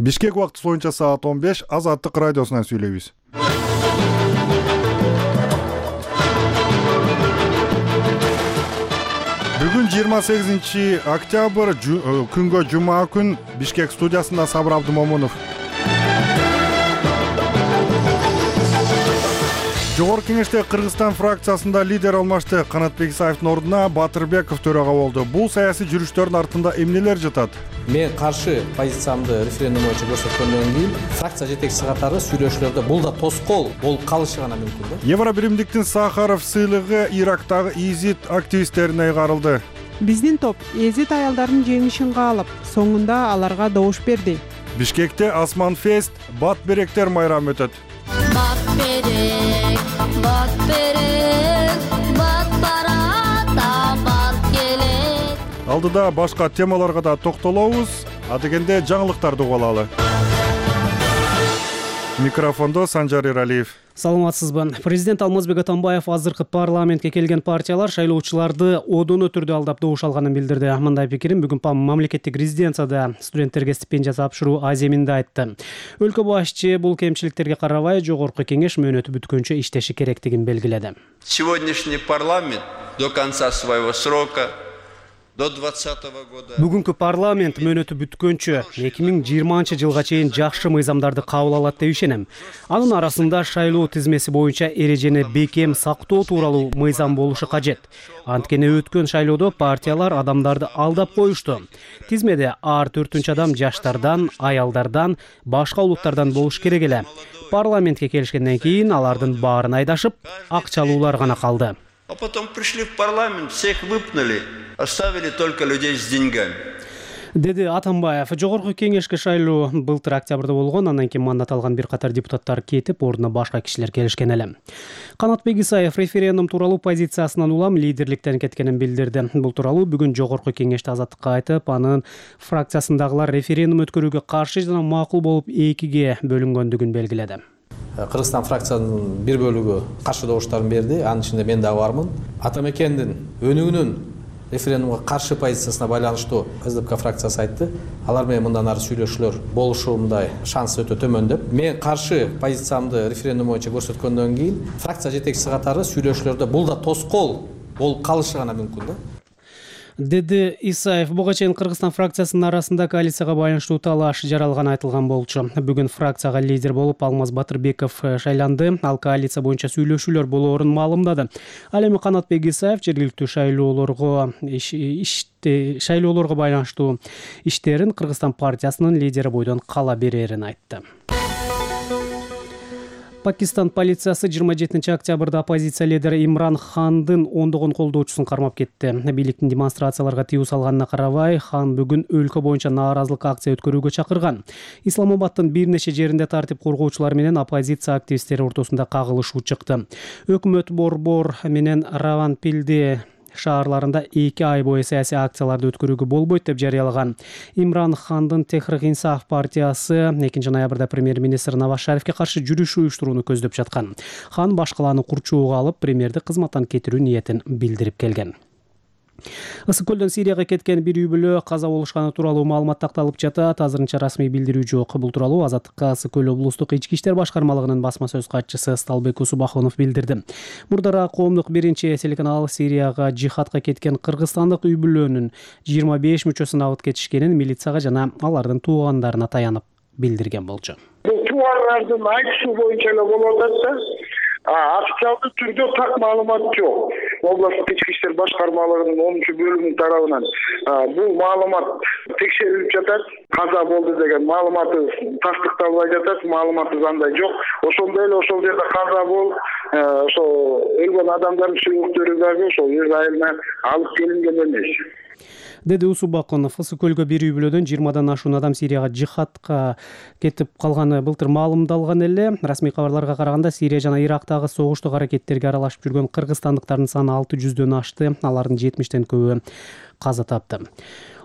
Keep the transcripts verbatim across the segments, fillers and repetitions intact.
Бишкек убактысы боюнча саат он беш, Азаттык радиосунан сүйлөйбүз. Бүгүн жыйырма сегизинчи октябрь, күнгө жума күн, Бишкек студиясында Сабыр Абдымомунов. Жогорку кеңеште Кыргызстан фракциясында лидер алмашты. Канатбек Исаевдин ордуна Батырбеков төрага болду. Бул саясий жүрүштөрдүн артында эмнелер жатат? Мен каршы позициямды референдум боюнча көрсөткөндөн кийин фракция жетекчиси катары сүйлөшүүлөрдө бул да тоскоол болуп калышы гана мүмкүн да. Евробиримдиктин Сахаров сыйлыгы Ирактагы изид активисттерине ыйгарылды. Биздин топ изид аялдардын жеңишин каалап, соңунда аларга добуш берди. Бишкекте Асман фест, бат беректер майрамы өтөт. Бат берек, бат берек, бат барата, бат келет. Алдыда башка темаларга да токтолобуз, а дегенде жаңылыктарды угуп алалы. Микрофондо Санжар Иралиев. Саламатсызбы. Президент Алмазбек Атамбаев азыркы парламентке келген партиялар шайлоочуларды одоно түрдө алдап добуш алганын билдирди. Мындай пикирин бүгүн мамлекеттик резиденцияда студенттерге стипендия тапшыруу аземинде айтты. Өлкө башчы бул кемчиликтерге карабай жогорку кеңеш мөөнөтү бүткөнчө иштеши керектигин белгиледи. Сегодняшний парламент до конца своего срока до двадцатого года. Бүгүнкү парламент мөөнөтү бүткөнчө эки миң жыйырманчы жылга чейин жакшы мыйзамдарды кабыл алат деп ишенем. Анын арасында шайлоо тизмеси боюнча эрежени бекем сактоо тууралуу мыйзам болушу кажет. Анткени өткөн шайлоодо партиялар адамдарды алдап коюшту. Тизмеде ар төртүнчү адам жаштардан, аялдардан, башка улуттардан болуш керек эле. Парламентке келишкенден кийин алардын баарын айдашып, акчалуулар гана калды. А потом пришли в парламент, всех выпнули, оставили только людей с деньгами. Деди Атамбаев. Жогорку кеңешке шайлоо былтыр октябрда болгон, андан кийин мандат алган бир катар депутаттар кетип, ордуна башка кишилер келишкен эле. Канатбек Исаев референдум тууралуу позициясынан улам лидерликтен кеткенин билдирди. Бул тууралуу бүгүн жогорку кеңеште Азаттыкка айтып, анын фракциясындагылар референдум өткөрүүгө каршы жана макул болуп экиге бөлүнгөндүгүн белгиледи. Кыргызстан фракциянын бир бөлүгү каршы добуштарын берди. Анын ичинде мен да бармын. Атамекендин өнүгүүнүн референдумга каршы позициясына байланыштуу СДПК фракциясы айтты. Алар менен мындан ары сүйлөшүүлөр болушу мындай шанс өтө төмөн деп. Мен каршы позициямды референдум боюнча көрсөткөндөн кийин фракция жетекчиси катары сүйлөшүүлөрдө бул да тоскоол болуп калышы гана мүмкүн да. Деди Исаев. Буга чейин Кыргызстан фракциясынын арасында коалицияга байланыштуу талаш жаралганы айтылган болчу. Бүгүн фракцияга лидер болуп Алмаз Батырбеков шайланды. Ал коалиция боюнча сүйлөшүүлөр болоорун маалымдады. Ал эми Канатбек Исаев жергиликтүү шайлоолорго иште шайлоолорго байланыштуу иштерин Кыргызстан партиясынын лидери бойдон кала берерин айтты. Пакистан полициясы жыйырма жетинчи октябрда оппозиция лидери Имран Хандын ондогон колдоочусун кармап кетти. Бийликтин демонстрацияларга тыюу салганына карабай, Хан бүгүн өлкө боюнча нааразылык акция өткөрүүгө чакырган. Исламабадтын бир нече жеринде тартип коргоочулар менен оппозиция активисттери ортосунда кагылышуу чыкты. Өкмөт Борбор менен Раванпилди шаарларында эки ай бою саясий акцияларды өткөрүүгө болбойт деп жарыялаган. Имран Хандын Техрик Инсаф партиясы экинчи ноябрда премьер-министр Наваз Шарифке каршы жүрүш уюштурууну көздөп жаткан. Хан башкаланы курчоого алып, премьерди кызматтан кетирүү ниетин билдирип келген. Ысык көлдөн Сирияга кеткен бир үй бүлө каза болушканы тууралуу маалымат такталып жатат. Азырынча расмий билдирүү жок. Бул тууралуу Азаттыкка Ысык көл облустук ички иштер башкармалыгынын басма сөз катчысы Сталбек Усубахунов билдирди. Мурдараак коомдук биринчи телеканал Сирияга жихадка кеткен кыргызстандык үй бүлөнүн жыйырма беш мүчөсүн алып кетишкенин милицияга жана алардын туугандарына таянып билдирген болчу. Бул туугандардын айтышуу боюнча эле болуп атат. Официалдуу түрдө так маалымат жок. Областтык ички иштер башкармалыгынын онунчу бөлүмүнүн тарабынан бул маалымат текшерилип жатат. Каза болду деген маалыматы тастыкталбай жатат, маалыматы андай жок. Ошондой эле ошол жерде каза болуп, ошо өлгөн адамдардын сүйүктөрү дагы ошол Израилден алып келинген эмес. Деди Усубакунов. Ысык көлгө бир үй бүлөдөн жыйырмадан ашуун адам Сирияга жихадка кетип калганы былтыр маалымдалган эле. Расмий кабарларга караганда Сирия жана Ирактагы согуштук аракеттерге аралашып жүргөн кыргызстандыктардын саны алты жүздөн ашты. Алардын жетимиштен көбү каза тапты.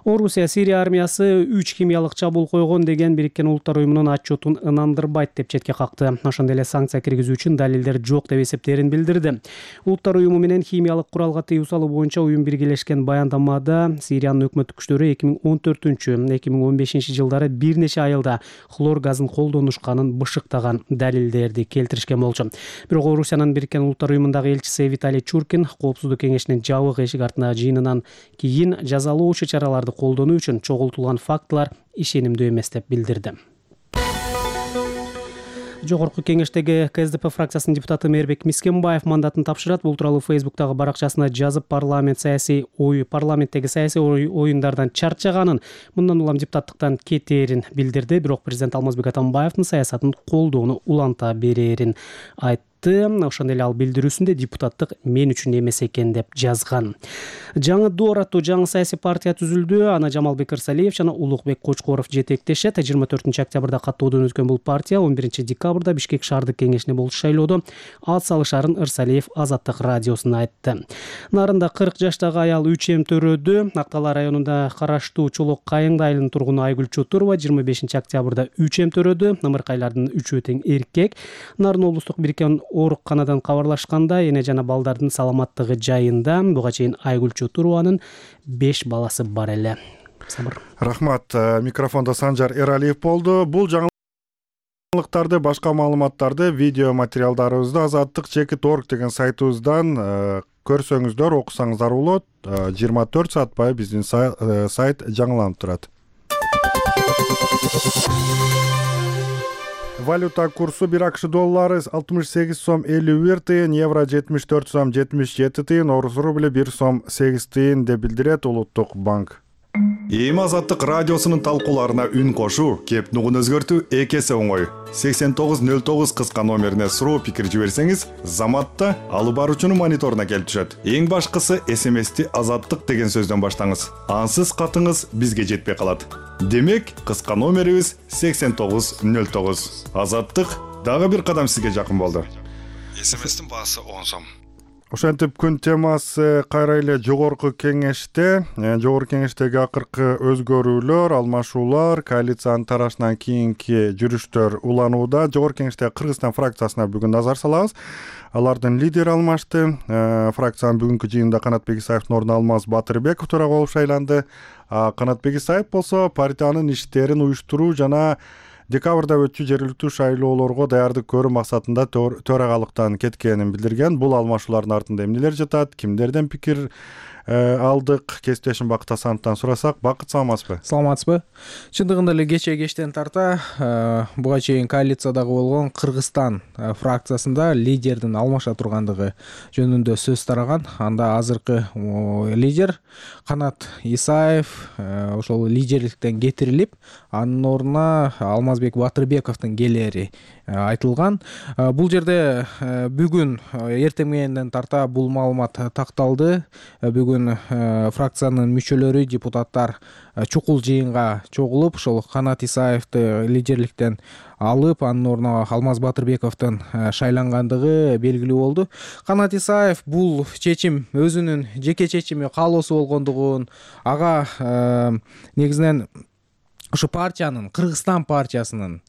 Орусия Сирия армиясы үч химиялык чабуул койгон деген Бириккен Улуттар уюмунун отчетун ынандырбайт деп четке какты. Ошондой эле санкция киргизүү үчүн далилдер жок деп эсептерин билдирди. Улуттар уюму менен химиялык куралга тыюу салуу боюнча уюм биргелешкен баяндамада Сириянын өкмөттүк күчтөрү эки миң он төртүнчү — эки миң он бешинчи жылдары бир нече айылда хлор газын колдонушканын бышыктаган далилдерди келтиришкен болчу. Бирок Орусиянын Бириккен Улуттар уюмундагы элчиси Виталий Чуркин Коопсуздук кеңешинин жабык эшик артындагы жыйынынан кийин жазалоочу чараларды колдонуу үчүн чогултулган фактылар ишенимдүү эмес деп билдирди. Жогорку кеңештеги Ка Эс Де Пе фракциясынын депутаты Мээрбек Мискенбаев мандатын тапшырат. Бул тууралуу Фейсбуктагы баракчасына жазып, парламент саясий ой парламенттеги саясий оюндардан чарчаганын, мындан улам депутаттыктан кетээрин билдирди. Бирок президент Алмазбек Атамбаевдин саясатын колдоону уланта берерин айтты. Ошондой эле ал билдирүүсүндө депутаттык мен үчүн эмес экен деп жазган. Жаңы Доор аттуу жаңы саясий партия түзүлдү. Аны Жамалбек Ырсалиев жана Улукбек Кочкоров жетектешет. жыйырма төртүнчү октябрда каттоодон өткөн бул партия он биринчи декабрда Бишкек шаардык кеңешине болчу шайлоодо ат салышарын Ырсалиев Азаттык радиосуна айтты. Нарында кырк жаштагы аял үч эм төрөдү. Актала районунда караштуу Чолок Кайыңды айылынын тургуну Айгүл Чотурова жыйырма бешинчи октябрда үч эм төрөдү. Ымыркайлардын үчөө тең эркек. Нарын облустук Бириккен ооруканадан кабарлашканда эне жана балдардын саламаттыгы жайында. Буга чейин Айгүл Чотурованын беш баласы бар эле. Сабыр. Рахмат. Микрофондо Санжар Эралиев болду. Бул жаңылыктарды, башка маалыматтарды видео материалдарыбызды азаттык чекит точка орг деген сайтыбыздан көрсөңүздөр, окусаңыздар болот. жыйырма төрт саат бою биздин сайт жаңыланып турат. Валюта курсу бир АКШ доллары алтымыш сегиз сом элүү бир тыйын, евро жетимиш төрт сом жетимиш жети тыйын, орус рубли бир сом сегиз тыйын деп билдирет Улуттук банк. Эми Азаттык радиосунун талкууларына үн кошуу, кеп нугун өзгөртүү эки эсе оңой. сексен тогуз нөл тогуз кыска номерине суроо пикир жиберсеңиз, заматта алып баруучунун мониторуна келип түшөт. Эң башкысы эс эм эсти Азаттык деген сөздөн баштаңыз. Ансыз катыңыз бизге жетпей калат. Демек, кыска номерибиз сексен тогуз нөл тогуз. Азаттык дагы бир кадам сизге жакын болду. эс эм эстин баасы он сом. Ошентип күн темасы кайра эле жогорку кеңеште, жогорку кеңештеги акыркы өзгөрүүлөр, алмашуулар, коалициянын тарашынан кийинки жүрүштөр уланууда. Жогорку кеңештеги Кыргызстан фракциясына бүгүн назар салабыз. Алардын лидери алмашты. Фракциянын бүгүнкү жыйынында Канатбек Исаевдин ордуна Алмаз Батырбеков төрага болуп шайланды. Канатбек Исаев болсо партиянын иштерин уюштуруу жана декабрда өтчү жергиликтүү шайлоолорго даярдык көрүү максатында төрагалыктан кеткенин билдирген. Бул алмашуулардын артында эмнелер жатат, кимдерден пикир алдык? Кесиптешим Бакыт Асановдон сурасак. Бакыт, саламатсызбы? Саламатсызбы? Чындыгында эле кече кечтен тарта буга чейин коалициядагы болгон Кыргызстан фракциясында лидердин алмаша тургандыгы жөнүндө сөз тараган. Анда азыркы лидер Канат Исаев ошол лидерликтен кетирилип, анын ордуна Алмазбек Батырбековдун келери айтылган. Бул жерде бүгүн эртең мененден тарта бул маалымат такталды. Бүгүн фракциянын мүчөлөрү, депутаттар чукул жыйынга чогулуп, ошол Канат Исаевди лидерликтен алып, анын ордуна Алмаз Батырбековдун шайлангандыгы белгилүү болду. Канат Исаев бул чечим өзүнүн жеке чечими, каалоосу болгондугун, ага негизинен ушу партиянын, Кыргызстан партиясынын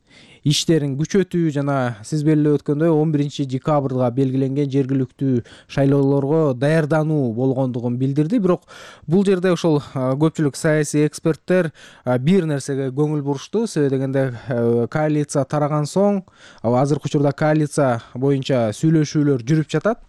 иштерин күчөтүү жана сиз белгилеп өткөндөй он биринчи декабрга белгиленген жергиликтүү шайлоолорго даярдануу болгондугун билдирди. Бирок бул жерде ошол көпчүлүк саясий эксперттер бир нерсеге көңүл бурушту. Себеби дегенде коалиция тараган соң, азыркы учурда коалиция боюнча сүйлөшүүлөр жүрүп жатат.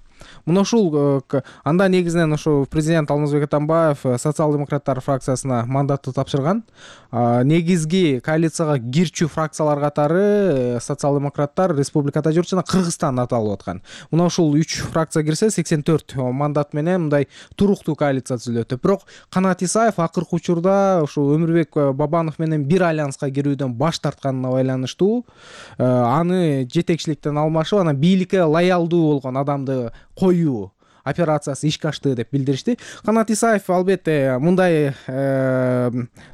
Мына ушул анда негизинен ошо президент Алмазбек Атамбаев социал-демократтар фракциясына мандатты тапшырган. Негизги коалицияга кирчү фракциялар катары социал-демократтар, республикада жүрүп жана Кыргызстан аталып аткан. Мына ушул үч фракция кирсе сексен төрт мандат менен мындай туруктуу коалиция түзүлөт. Бирок Канат Исаев акыркы учурда ошо Өмүрбек Бабанов менен бир альянска кирүүдөн баш тартканына байланыштуу аны жетекчиликтен алмашып, анан бийликке лоялдуу болгон адамды коюу операциясы ишке ашты деп билдиришти. Канат Исаев албетте мындай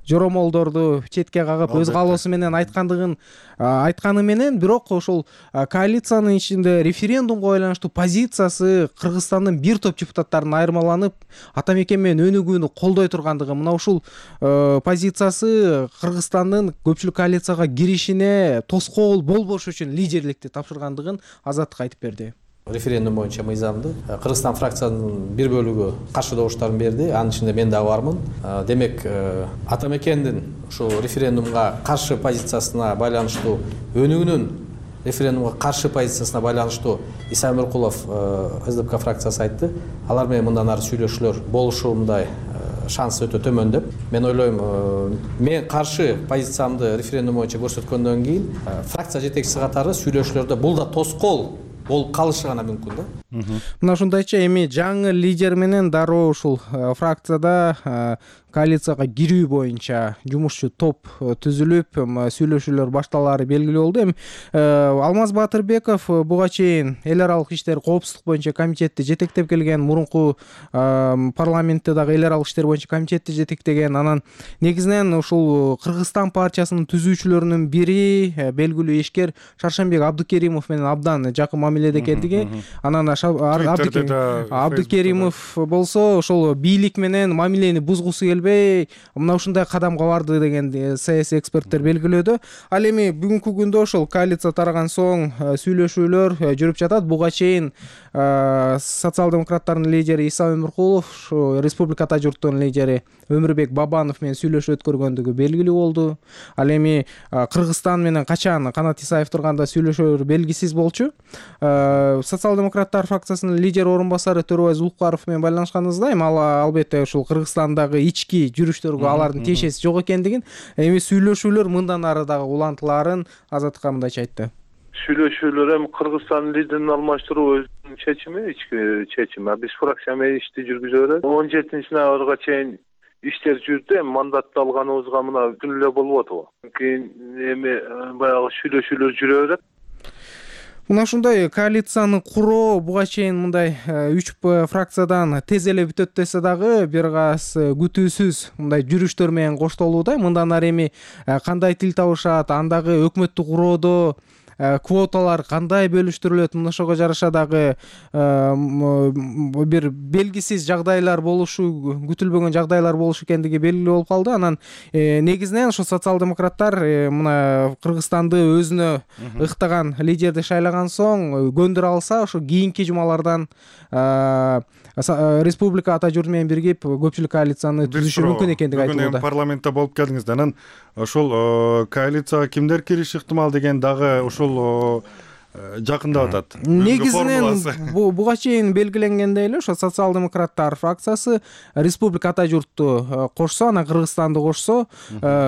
жоромолдорду четке кагып өз каалоосу менен айткандыгын айтканы менен, бирок ошол коалициянын ичинде референдумга байланыштуу позициясы Кыргызстандын бир топ депутаттарынын айырмаланып, ата мекен менен өнүгүүнү колдой тургандыгы, мына ушул позициясы Кыргызстандын көпчүлүк коалицияга киришине тоскоол болбош үчүн лидерликти тапшыргандыгын Азаттык айтып берди. Референдум боюнча мыйзамды Кыргызстан фракциянын бир бөлүгү каршы добуштарын берди. Анын ичинде мен дагы бармын. Демек, ата мекендин ушул референдумга каршы позициясына байланыштуу, өнүгүүнүн референдумга каршы позициясына байланыштуу Иса Өмүркулов СДПК фракциясы айтты. Алар менен мындан ары сүйлөшүүлөр болушундай шанс өтө төмөн деп. Мен ойлойм, мен каршы позициямды референдум боюнча көрсөткөндөн кийин фракция жетекчиси катары сүйлөшүүлөрдө бул да тоскоол болуп калышы гана мүмкүн да. Мына ушундайча эми жаңы лидер менен дароо ушул фракцияда коалицияга кирүү боюнча жумушчу топ түзүлүп, сүйлөшүүлөр башталаары белгилүү болду. Эми Алмаз Батырбеков буга чейин эл аралык иштер коопсуздук боюнча комитетти жетектеп келген, мурунку парламентте дагы эл аралык иштер боюнча комитетти жетектеген. Анан негизинен ушул Кыргызстан партиясынын түзүүчүлөрүнүн бири белгилүү ишкер Шаршенбек Абдыкеримов менен абдан жакын мамиледе экендиги. Анан Абдыкеримов болсо ошол бийлик менен мамилени бузгусу келбей, мына ушундай кадамга барды деген саясий эксперттер белгилөөдө. Ал эми бүгүнкү күндө ошол коалиция тараган соң сүйлөшүүлөр жүрүп жатат. Буга чейин социал-демократтардын лидери Иса Өмүркулов, республика ата журттун лидери Өмүрбек Бабанов менен сүйлөшүү өткөргөндүгү белгилүү болду. Ал эми Кыргызстан менен качан Канат Исаев турганда сүйлөшөөр белгисиз болчу. Социал-демократтар фракциясынын лидер орун басары Төрөбай Зулукбаров менен байланышканыбызда, эми ал албетте ушул Кыргызстандагы ички жүрүштөргө алардын тиешеси жок экендигин, эми сүйлөшүүлөр мындан ары дагы улантылаарын Азаттыкка мындайча айтты. Сүйлөшүүлөр эми Кыргызстандын лидерин алмаштыруу өзүнүн чечими, ички чечими. Биз фракция менен ишти жүргүзө беребиз. он жетинчи ноябрга чейин иштер жүрдү. Эми мандатты алганыбызга мына күн эле болуп атабы. Кийин эми баягы сүйлөшүүлөр жүрө берет. Мына ушундай коалицияны куруу буга чейин мындай үч фракциядан тез эле бүтөт десе дагы бир каз күтүүсүз мындай жүрүштөр менен коштолууда. Мындан ары эми кандай тил табышат, андагы өкмөттү куроодо квоталар кандай бөлүштүрүлөт, мына ошого жараша дагы бир белгисиз жагдайлар болушу, күтүлбөгөн жагдайлар болушу экендиги белгилүү болуп калды. Анан негизинен ошо социал-демократтар мына Кыргызстанды өзүнө ыктаган лидерди шайлаган соң көндүрө алса, ошо кийинки жумалардан республика ата журт менен биригип көпчүлүк коалицияны түзүшү мүмкүн экендиги айтылууда. Бүгүн парламентте болуп келдиңиз. Анан ошол коалицияга кимдер кириши ыктымал деген дагы ушул жакындап атат. Негизинен буга чейин белгиленгендей эле ошо социал-демократтар фракциясы республика ата журтту кошсо, анан Кыргызстанды кошсо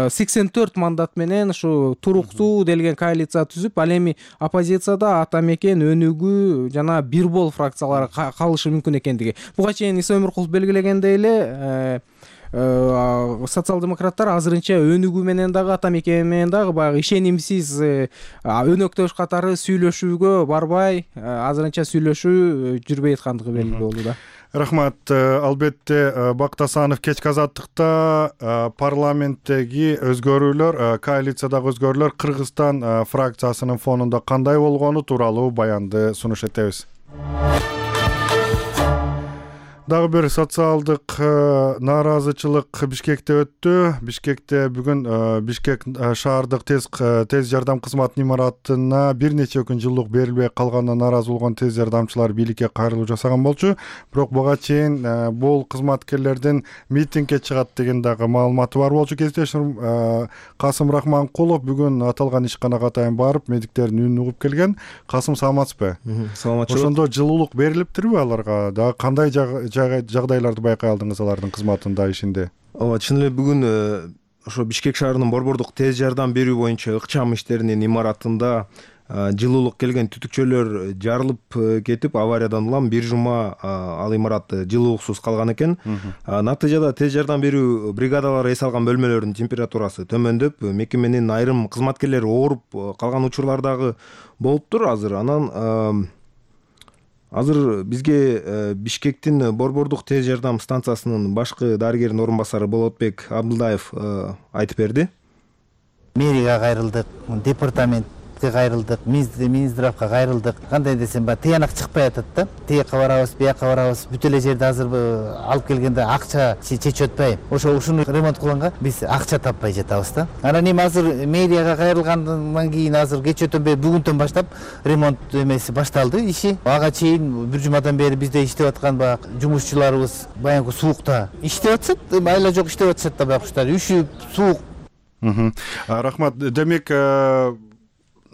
сексен төрт мандат менен ушу туруктуу делген коалиция түзүп, ал эми оппозицияда ата мекен, өнүгүү жана бир бол фракциялары калышы мүмкүн экендиги. Буга чейин Иса Өмүркулов белгилегендей эле социал-демократтар азырынча өнүгүү менен дагы ата мекен менен дагы баягы ишенимсиз өнөктөш катары сүйлөшүүгө барбай, азырынча сүйлөшүү жүрбөй аткандыгы белгилүү болду да. Рахмат. Албетте Бактасанов кечки азаттыкта парламенттеги өзгөрүүлөр, коалициядагы өзгөрүүлөр Кыргызстан фракциясынын фонунда кандай болгону тууралуу баянды сунуш этебиз. Дагы бир социалдык нааразычылык Бишкекте өттү. Бишкекте бүгүн Бишкек шаардык тез тез жардам кызматынын имаратына бир нече күн жылуулук берилбей калганына нааразы болгон тез жардамчылар бийликке кайрылуу жасаган болчу. Бирок буга чейин бул кызматкерлердин митингге чыгат деген дагы маалыматы бар болчу. Кесиптешим Касым Рахманкулов бүгүн аталган ишканага атайын барып, медиктердин үнүн угуп келген. Касым, саламатсызбы? Саламатчылык. Ошондо жылуулук берилиптирби аларга? Дагы кандай жагдайларды байкай алдыңыз алардын кызматында, ишинде? Ооба, чын эле бүгүн ошо Бишкек шаарынын борбордук тез жардам берүү боюнча ыкчам иштеринин имаратында жылуулук келген түтүкчөлөр жарылып кетип, авариядан улам бир жума ал имарат жылуулуксуз калган экен. Натыйжада тез жардам берүү бригадалары эс алган бөлмөлөрдүн температурасы төмөндөп, мекеменин айрым кызматкерлери ооруп калган учурлар дагы болуптур азыр. Анан азыр бизге Бишкектин Борбордук тез жардам станциясынын башкы дарыгеринин орун басары Болотбек Абдылдаев айтып берди. Мэрияга кайрылдык, департаментке кайрылдык, Минздравга кайрылдык. Кандай десем, баягы тыянак чыкпай атат да. Тиякка барабыз, биякка барабыз. Бүт эле жерде азыр алып келгенде акча чечип атпайбы. Ошо ушуну ремонт кылганга биз акча таппай жатабыз да. Анан эми азыр мэрияга кайрылгандан кийин азыр кеч өтөнбөй бүгүнтөн баштап ремонт эмеси башталды иши. Ага чейин бир жумадан бери бизде иштеп аткан баягы жумушчуларыбыз баягы суукта иштеп атышат, айла жок иштеп атышат да баягы куштар. Үшүп, суук. Рахмат. Демек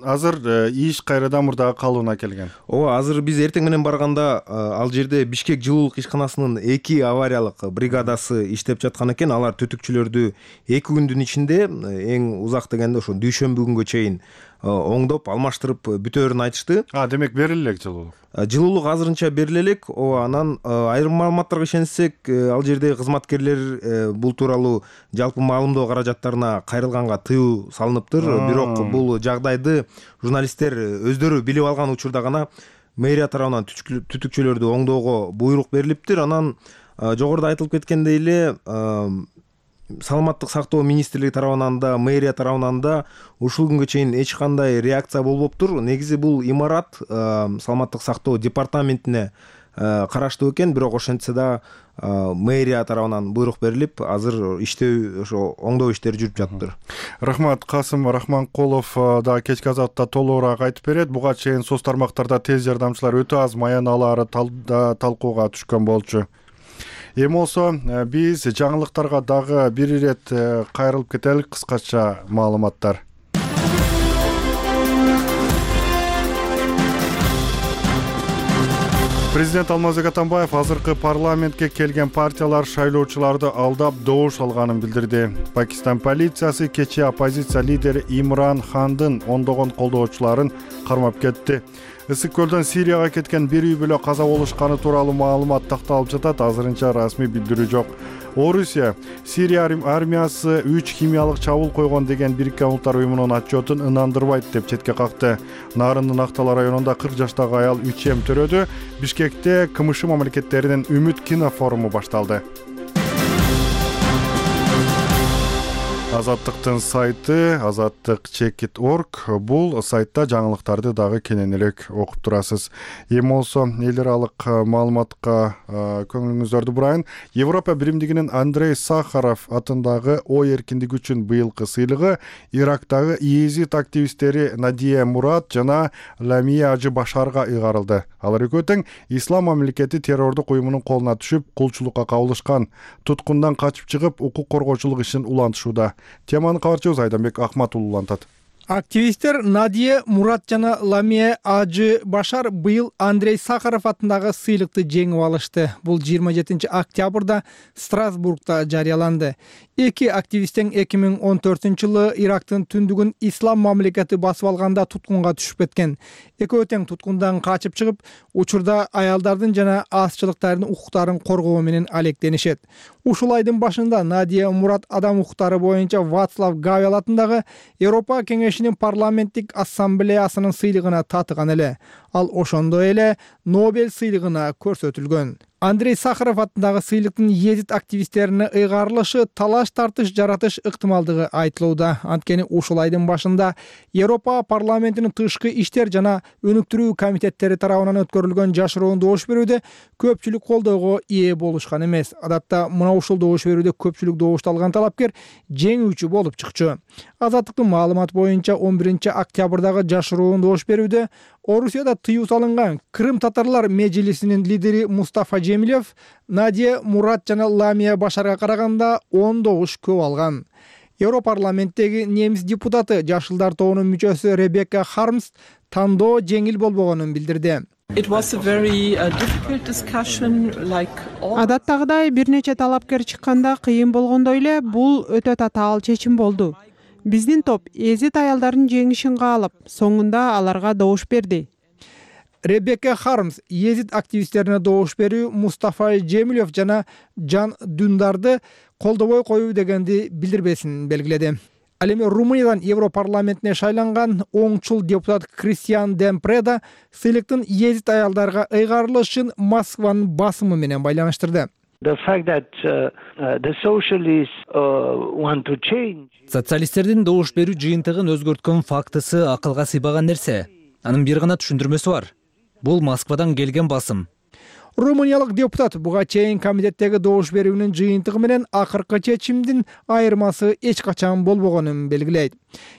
азыр иш кайрадан мурдагы калыбына келген. Ооба, азыр биз эртең менен барганда ал жерде Бишкек жылуулук ишканасынын эки авариялык бригадасы иштеп жаткан экен. Алар түтүкчүлөрдү эки күндүн ичинде, эң узак дегенде ошо дүйшөмбү күнгө чейин оңдоп, алмаштырып бүтөөрүн айтышты. А, демек бериле элек жылуулук. Жылуулук азырынча бериле элек. Ооба, анан айрым маалыматтарга ишенсек, ал жердеги кызматкерлер бул тууралуу жалпы маалымдоо каражаттарына кайрылганга тыюу салыныптыр. Бирок бул жагдайды журналисттер өздөрү билип алган учурда гана мэрия тарабынан түтүкчүлөрдү оңдоого буйрук берилиптир. Анан жогоруда айтылып кеткендей эле Саламаттык сактоо министрлиги тарабынан да, мэрия тарабынан да ушул күнгө чейин эч кандай реакция болбоптур. Негизи бул имарат Саламаттык сактоо департаментине караштуу экен, бирок ошентсе да мэрия тарабынан буйрук берилип, азыр иштөө, ошо оңдоо иштери жүрүп жатыптыр. Рахмат. Касым Рахманкулов да кечки азатта толугураак айтып берет. Буга чейин соц тармактарда тез жардамчылар өтө аз маяналары талкууга түшкөн болчу. Эми болсо биз жаңылыктарга дагы бир ирет кайрылып кетелик. Кыскача маалыматтар. Президент Алмазбек Атамбаев азыркы парламентке келген партиялар шайлоочуларды алдап добуш алганын билдирди. Пакистан полициясы кечээ оппозиция лидери Имран Хандын ондогон колдоочуларын кармап кетти. Ысык көлдөн Сирияга кеткен бир үй бүлө каза болушканы тууралуу маалымат такталып жатат. Азырынча расмий билдирүү жок. Орусия Сирия армиясы үч химиялык чабуул койгон деген Бириккен Улуттар уюмунун отчетун ынандырбайт деп четке какты. Нарындын Актала районунда кырк жаштагы аял үч эм төрөдү. Бишкекте КМШ мамлекеттеринин Үмүт кино форуму башталды. Азаттыктын сайты азаттык чекит точка орг. Бул сайтта жаңылыктарды дагы кененирээк окуп турасыз. Эми болсо эл аралык маалыматка көңүлүңүздөрдү бурайын. Европа биримдигинин Андрей Сахаров атындагы ой эркиндиги үчүн быйылкы сыйлыгы Ирактагы иезит активисттери Надия Мурат жана Ламия Ажы Башарга ыйгарылды. Алар экөө тең Ислам мамлекети террордук уюмунун колуна түшүп, кулчулукка кабылышкан. Туткундан качып чыгып, укук коргоочулук ишин улантышууда. Теманы кабарчыбыз Айданбек Акматулы улантат. Активисттер Надия Мурат жана Ламия Ажы Башар быйыл Андрей Сахаров атындагы сыйлыкты жеңип алышты. Бул жыйырма жетинчи октябрда Страсбургда жарыяланды. Эки активисттен эки миң он төртүнчү жылы Ирактын түндүгүн Ислам мамлекети басып алганда туткунга түшүп кеткен. Экөө тең туткундан качып чыгып, учурда аялдардын жана азчылыктардын укуктарын коргоо менен алектенишет. Ушул айдын башында Надия Мурат адам укуктары боюнча Вацлав Гавел атындагы Европа кеңешинин парламенттик ассамблеясынын сыйлыгына татыган эле. Ал ошондой эле Нобель сыйлыгына көрсөтүлгөн. Андрей Сахаров атындагы сыйлыктын иезит активисттерине ыйгарылышы талаш тартыш жаратыш ыктымалдыгы айтылууда. Анткени ушул айдын башында Европа парламентинин тышкы иштер жана өнүктүрүү комитеттери тарабынан өткөрүлгөн жашыруун добуш берүүдө көпчүлүк колдоого ээ болушкан эмес. Адатта мына ушул добуш берүүдө көпчүлүк добушту алган талапкер жеңүүчү болуп чыкчу. Азаттыктын маалыматы боюнча он биринчи октябрдагы жашыруун добуш берүүдө Орусияда тыюу салынган Крым татарлар межлисинин лидери Мустафа Жемилев Надия Мурат жана Ламия Башарга караганда он добуш көп алган. Европарламенттеги немис депутаты Жашылдар тобунун мүчөсү Ребекка Хармс тандоо жеңил болбогонун билдирди. Адаттагыдай бир нече талапкер чыкканда кыйын болгондой эле бул өтө татаал чечим болду. Биздин топ эзит аялдардын жеңишин каалап, соңунда аларга добуш берди. Ребекка Хармс езит активисттерине добуш берүү Мустафа Жемилев жана Жан Дундарды колдобой коюу дегенди билдирбесин белгиледи. Ал эми Румыниядан Европарламентине шайланган оңчул депутат Кристиан Демпреда сыйлыктын езит аялдарга ыйгарылышын Москванын басымы менен байланыштырды. Социалисттердин добуш берүү жыйынтыгын өзгөрткөн фактысы акылга сыйбаган нерсе. Анын бир гана түшүндүрмөсү бар. Бул Москвадан келген басым. Румыниялык депутат буга чейин комитеттеги добуш берүүнүн жыйынтыгы менен акыркы чечимдин айырмасы эч качан болбогонун белгилейт.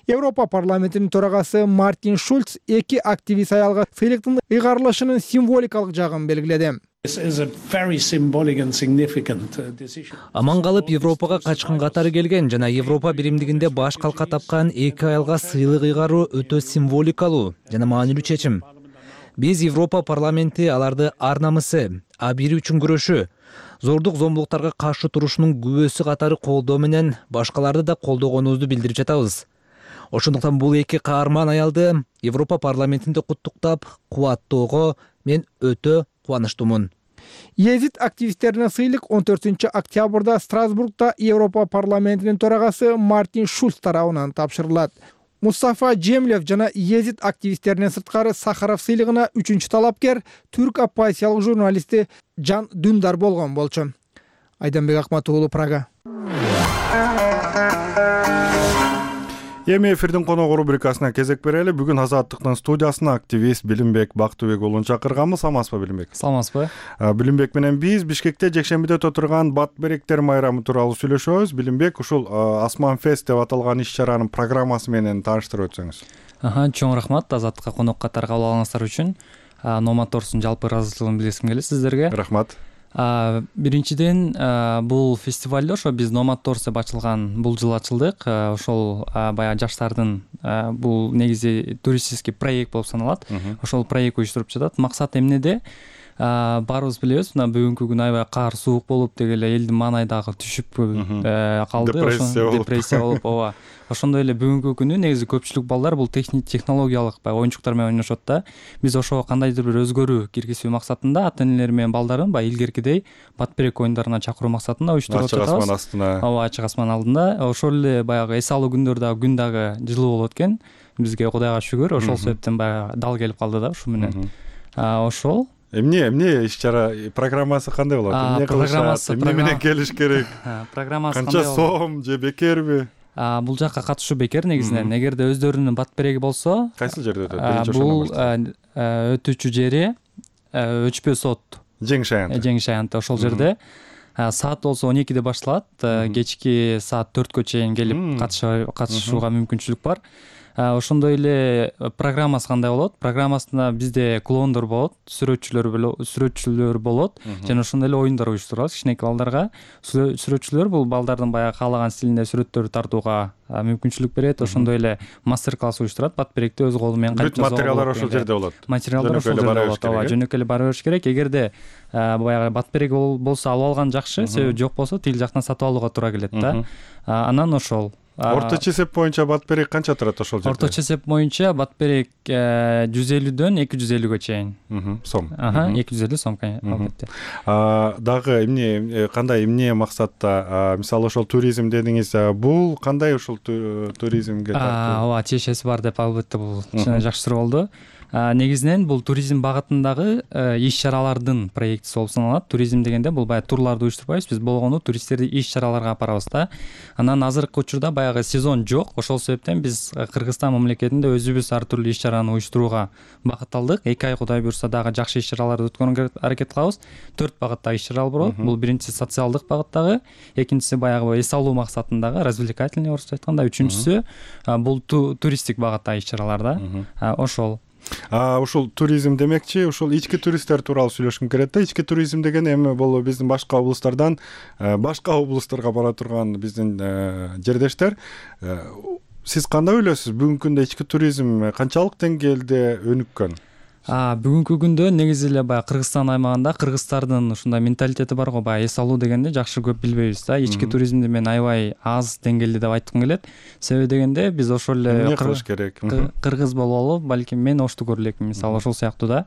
Европа парламентинин төрагасы Мартин Шульц эки активист аялга сыйлыктын ыйгарылышынын символикалык жагын белгиледи. Аман калып Европага качкан катары келген жана Европа биримдигинде баш калка тапкан эки аялга сыйлык ыйгаруу өтө символикалуу жана маанилүү чечим. Биз Европа парламенти аларды ар намысы, абийир үчүн күрөшү, зордук зомбулуктарга каршы турушунун күбөсү катары колдоо менен башкаларды да колдогонубузду билдирип жатабыз. Ошондуктан бул эки каарман аялды Европа парламентинде куттуктап, кубаттоого мен өтө кубанычтуумун. Езит активисттерине сыйлык он төртүнчү октябрда Страсбургда Европа парламентинин төрагасы Мартин Шульц тарабынан тапшырылат. Мустафа Джемлев жана езит активисттеринен сырткары Сахаров сыйлыгына үчүнчү талапкер түрк оппозициялык журналисти Жан Дүндар болгон болчу. Айданбек Акматов уулу, Прага. Эми эфирдин коногу рубрикасына кезек берели. Бүгүн Азаттыктын студиясына активист Билимбек Бактыбек уулун чакырганбыз. Саламатсызбы, Билимбек? Саламатсызбы. Билимбек менен биз Бишкекте жекшембиде өтө турган Бат беректер майрамы тууралуу сүйлөшөбүз. Билимбек, ушул Асман Фест деп аталган иш-чаранын программасы менен тааныштырып өтсөңүз. Аха, чоң рахмат Азаттыкка конок катары кабыл алганыңыздар үчүн. Номаторсун жалпы ыраазычылыгын билдиргим келет сиздерге. Рахмат. Биринчиден, бул фестивалде ошо биз Номаторс деп ачылган бул жылы ачылдык. Ошол баягы жаштардын бул негизи туристический проект болуп саналат. Ошол проект уюштуруп жатат. Максат эмнеде? Баарыбыз билебиз, мына бүгүнкү күн аябай кар, суук болуп, деги эле элдин маанайдагы түшүп калды. Депрессия болуп, ооба. Ошондой эле бүгүнкү күнү негизи көпчүлүк балдар бул технологиялык баягы оюнчуктар менен ойношот да. Биз ошого кандайдыр бир өзгөрүү киргизүү максатында ата-энелер менен балдарын баягы илгеркидей бат берек оюндарына чакыруу максатында уюштуруп жатабыз. Ачык асман астына. Ооба, ачык асман алдында. Ошол эле баягы эс алуу күндөрдө күн дагы жылуу болот экен. Бизге Кудайга шүгүр, ошол себептен баягы дал келип калды да ушу менен. Ошол Эмне, эмне иш-чара программасы кандай болот? Эмне кылышат? Эмне менен келиш керек? Программасы кандай болот? Канча сом же бекерби? Бул жакка катышуу бекер негизинен. Эгерде өздөрүнүн бат береги болсо, кайсыл жерде өтөт? Бул өтүүчү жери Өчпө сот. Жеңиш аянты. Жеңиш аянты ошол жерде. Саат болсо он экиде башталат. Кечки саат төрткө чейин келип катышууга мүмкүнчүлүк бар. Ошондой эле программасы кандай болот? Программасында бизде клоундор болот, сүрөтчүлөр сүрөтчүлөр болот жана ошондой эле оюндар уюштурабыз кичинекей балдарга. Сүрөтчүлөр бул балдардын баягы каалаган стилинде сүрөттөрдү тартууга мүмкүнчүлүк берет. Ошондой эле мастер-класс уюштурат. Бат беректи өз колу менен кантип жасоо. Материалдар ошол жерде болот. Материалдар ошол жерде болот. Ооба, жөнөкөй эле бара бериш керек. Эгерде баягы бат берек болсо алып алган жакшы, себеби жок болсо тил жактан сатып алууга туура келет да. Анан ошол Орточо эсеп боюнча бат берек канча турат ошол жерде? Орточо эсеп боюнча бат берек жүз элүүдөн эки жүз элүүгө чейин. Сом. Аха, эки жүз элүү сом, албетте. Дагы эмне, кандай эмне максатта, мисалы ошол туризм дедиңиз, бул кандай ошол туризмге тартуу? Ооба, тиешеси бар деп албетте бул жакшы суроо болду. Негизинен бул туризм багытындагы иш-чаралардын проектиси болуп саналат. Туризм дегенде бул баягы турларды уюштурбайбыз, биз болгону туристтерди иш-чараларга апарабыз да. Анан азыркы учурда баягы сезон жок, ошол себептен биз Кыргызстан мамлекетинде өзүбүз ар түрдүү иш-чараны уюштурууга багытталдык. эки ай Кудай буюрса дагы жакшы иш-чараларды өткөрүүгө аракет кылабыз. төрт багыттагы иш-чаралар болот. Бул биринчиси социалдык багыттагы, экинчиси баягы эс алуу максатындагы, развлекательный орусча айтканда, үчүнчүсү бул туристтик багыттагы иш-чаралар да. Ошол. Ушул туризм демекчи, ушул ички туристтер тууралуу сүйлөшкүм келет да. Ички туризм деген эми бул биздин башка облустардан башка облустарга бара турган биздин жердештер. Сиз кандай ойлойсуз? Бүгүнкү күндө ички туризм канчалык деңгээлде өнүккөн? Бүгүнкү күндө негизи эле баягы Кыргызстан аймагында кыргыздардын ушундай менталитети бар го, баягы эс алуу дегенди жакшы көп билбейбиз да. Ички туризмди мен аябай аз деңгээлде деп айткым келет. Себеби дегенде биз ошол эле эмне кылыш керек? Кыргыз бололу, балким мен ошту көрө элекмин, мисалы ошол сыяктуу да.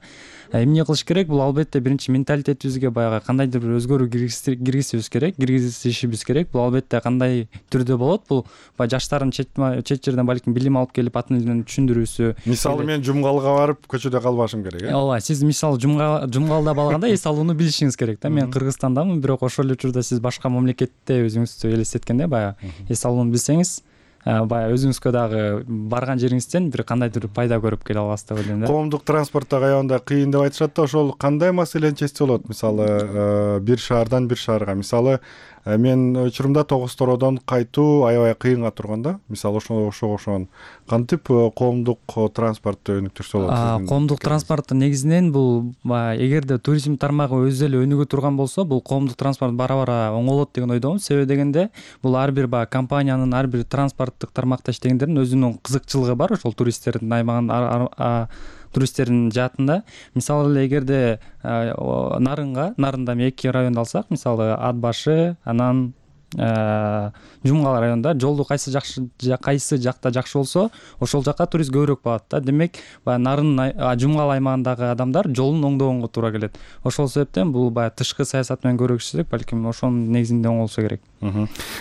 Эмне кылыш керек? Бул албетте биринчи менталитетибизге баягы кандайдыр бир өзгөрүү киргизишибиз керек, киргизишибиз керек. Бул албетте кандай түрдө болот? Бул баягы жаштардын чет жерден балким билим алып келип атын элин түшүндүрүүсү. Мисалы мен Жумгалга барып көчөдө калбашым керек, э? Ооба, сиз мисалы Жумгалда балганда эс алууну билишиңиз керек да. Мен Кыргызстандамын, бирок ошол эле учурда сиз башка мамлекетте өзүңүздү элестеткенде баягы эс алууну билсеңиз, баягы өзүңүзгө дагы барган жериңизден бир кандайдыр пайда көрүп келе аласыз деп ойлойм да. Коомдук транспортто аябында кыйын деп айтышат да, ошол кандай маселени чечсе болот? Мисалы бир шаардан бир шаарга, мисалы мен учурумда Тогуз-Тородон кайтуу аябай кыйынга турган да. Мисалы ошого окшогон кантип коомдук транспортто өнүктүрсө болот? Коомдук транспортту негизинен бул эгерде туризм тармагы өзү эле өнүгө турган болсо, бул коомдук транспорт бара-бара оңолот деген ойдомун. Себеби дегенде бул ар бир баягы компаниянын, ар бир транспорттук тармакта иштегендердин өзүнүн кызыкчылыгы бар, ошол туристтердин аймагын туристтердин жаатында. Мисалы эле эгерде Нарынга, Нарында эки районду алсак, мисалы Ат башы, анан Жумгал районунда жолду кайсы жакшы кайсы жакта жакшы болсо, ошол жакка турист көбүрөөк барат да. Демек, баягы Нарын, Жумгал аймагындагы адамдар жолун оңдогонго туура келет. Ошол себептен бул баягы тышкы саясат менен көрүшсөк, балким ошонун негизинде оңолсо керек.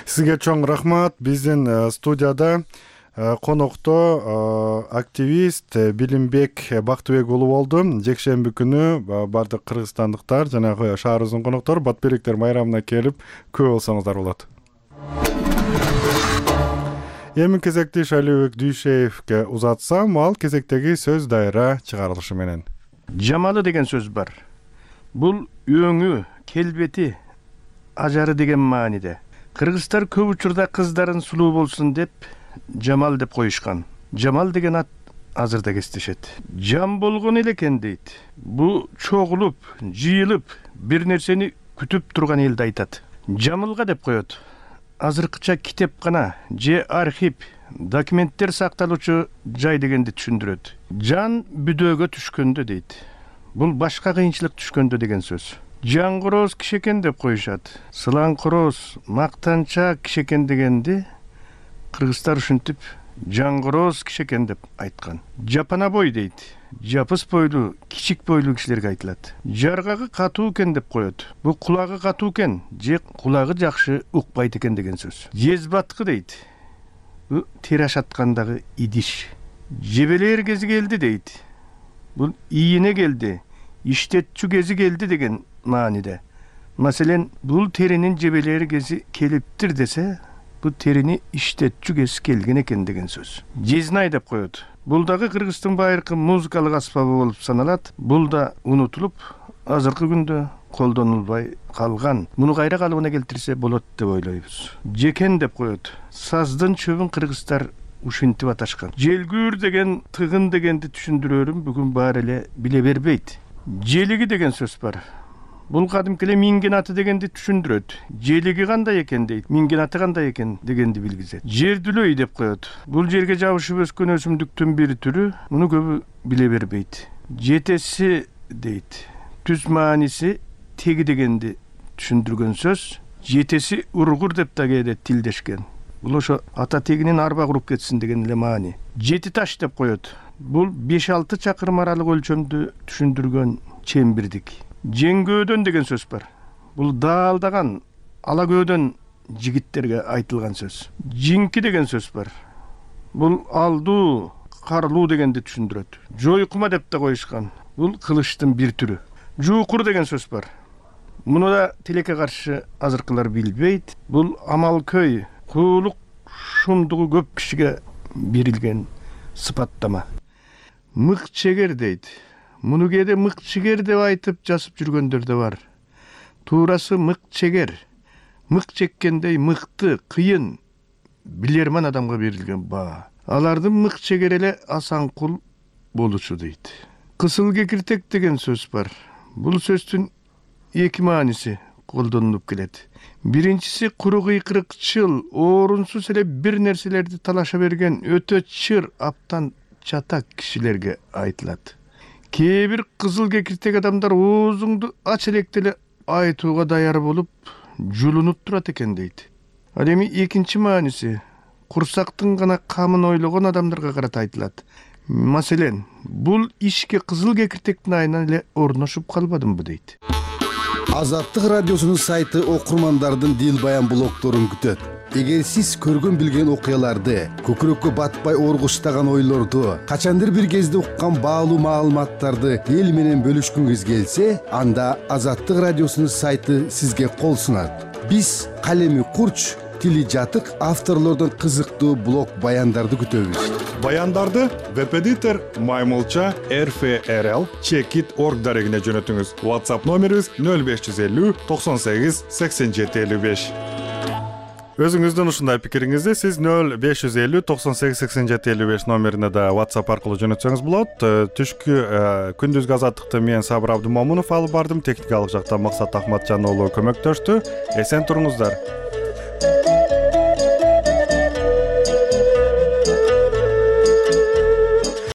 Сизге чоң рахмат. Биздин студияда конокто активист Билимбек Бактыбек уулу болду. Жекшемби күнү бардык кыргызстандыктар жанагы шаарыбыздын коноктору Батберектер майрамына келип көп болсоңуздар болот. Эми кезекти Шалибек Дүйшеевге узатсам, ал кезектеги сөз дайра чыгарылышы менен. Жамалы деген сөз бар. Бул өңү, келбети, ажары деген мааниде. Кыргыздар көп учурда кыздарын сулуу болсун деп Жамал деп коюшкан. Жамал деген ат азырда кестешет. Жам болгон эле экен дейт. Бу чогулуп, жыйылып, бир нерсени күтүп турган элди айтат. Жамылга деп коет. Азыркыча китепкана же архив, документтер сакталуучу жай дегенди түшүндүрөт. Жан бүдөөгө түшкөндө дейт. Бул башка кыйынчылык түшкөндө деген сөз. Жаңгороз киши экен деп коюшат. Сылаңкороз, мактанчаак киши экен дегенди кыргыздар ушинтип жаңгороз киши экен деп айткан. Жапана бой дейт. Жапыс бойлуу, кичик бойлуу кишилерге айтылат. Жаргагы катуу экен деп коет. Бул кулагы катуу экен, же кулагы жакшы укпайт экен деген сөз. Жезбаткы дейт. Бул тери ашаткандагы идиш. Жебелер кези келди дейт. Бул ийине келди, иштетчү кези келди деген мааниде. Маселен, бул теринин жебелери кези келиптир десе, бул терини иштетчү кези келген экен деген сөз. Жезнай деп коет. Бул дагы Кыргыздын байыркы музыкалык аспабы болуп саналат. Бул да унутулуп, азыркы күндө колдонулбай калган. Муну кайра калыбына келтирсе болот деп ойлойбуз. Жекен деп коет. Саздын чөбүн кыргыздар ушинтип аташкан. Желгүүр деген, тыгын дегенди түшүндүрөрүм бүгүн баары эле биле бербейт. Желиги деген сөз бар. Бул кадимки эле минген аты дегенди түшүндүрөт. Желиги кандай экен дейт, минген аты кандай экен дегенди билгизет. Жердүлөй деп коет. Бул жерге жабышып өскөн өсүмдүктүн бир түрү, муну көбү биле бербейт. Жетеси дейт. Түз мааниси теги дегенди түшүндүргөн сөз. Жетеси ургур деп да кээде тилдешкен. Бул ошо ата тегинин арба куруп кетсин деген эле маани. Жети таш деп коет. Бул беш алты чакырым аралык өлчөмдү түшүндүргөн чембирдик. Жеңгөөдөн деген сөз бар. Бул даалдаган, ала көөдөн жигиттерге айтылган сөз. Жинки деген сөз бар. Бул алдуу, карлуу дегенди түшүндүрөт. Жойкума деп да коюшкан. Бул кылычтын бир түрү. Жуукур деген сөз бар. Муну да тилекке каршы азыркылар билбейт. Бул амалкөй, куулук шумдугу көп кишиге берилген сыпаттама. Мык чегер дейт. Муну кээде мык чегер деп айтып жазып жүргөндөр да бар. Туурасы мык чегер. Мык чеккендей мыкты, кыйын, билерман адамга берилген баа. Алардын мык чегер эле асанкул болушу дейт. Кысыл кекиртек деген сөз бар. Бул сөздүн эки мааниси колдонулуп келет. Биринчиси куру кыйкырыкчыл, орунсуз эле бир нерселерди талаша берген өтө чыр, аптан чатак кишилерге айтылат. кээ бир кызыл кекиртек адамдар оозуңду ач электе эле айтууга даяр болуп жулунуп турат экен дейт. Ал эми экинчи мааниси курсактын гана камын ойлогон адамдарга карата айтылат. Маселен, бул ишке кызыл кекиртектин айынан эле орношуп калбадымбы дейт. Азаттык радиосунун сайты окурмандардын дил баян блогторун күтөт. Эгер сиз көргөн билген окуяларды, көкүрөккө батпай оргуштаган ойлорду, качандыр бир кезде уккан баалуу маалыматтарды эл менен бөлүшкүңүз келсе, анда Азаттык радиосунун сайты сизге кол сунат. Биз калеми курч, тили жатык авторлордон кызыктуу блог баяндарды күтөбүз. Баяндарды веб-эдитор маймылча эр эф эр эл чекит орг дарегине жөнөтүңүз. WhatsApp номерибиз нөл беш жүз элүү токсон сегиз сексен жети элүү беш. Өзүңүздүн ушундай пикириңизди сиз нөл беш жүз элүү токсон сегиз сексен жети элүү беш номерине да WhatsApp аркылуу жөнөтсөңүз болот. Түшкү күндүзгү азаттыкты мен Сабыр Абдымомунов алып бардым. Техникалык жактан Максат Ахматжан уулу көмөктөштү. Эсен туруңуздар.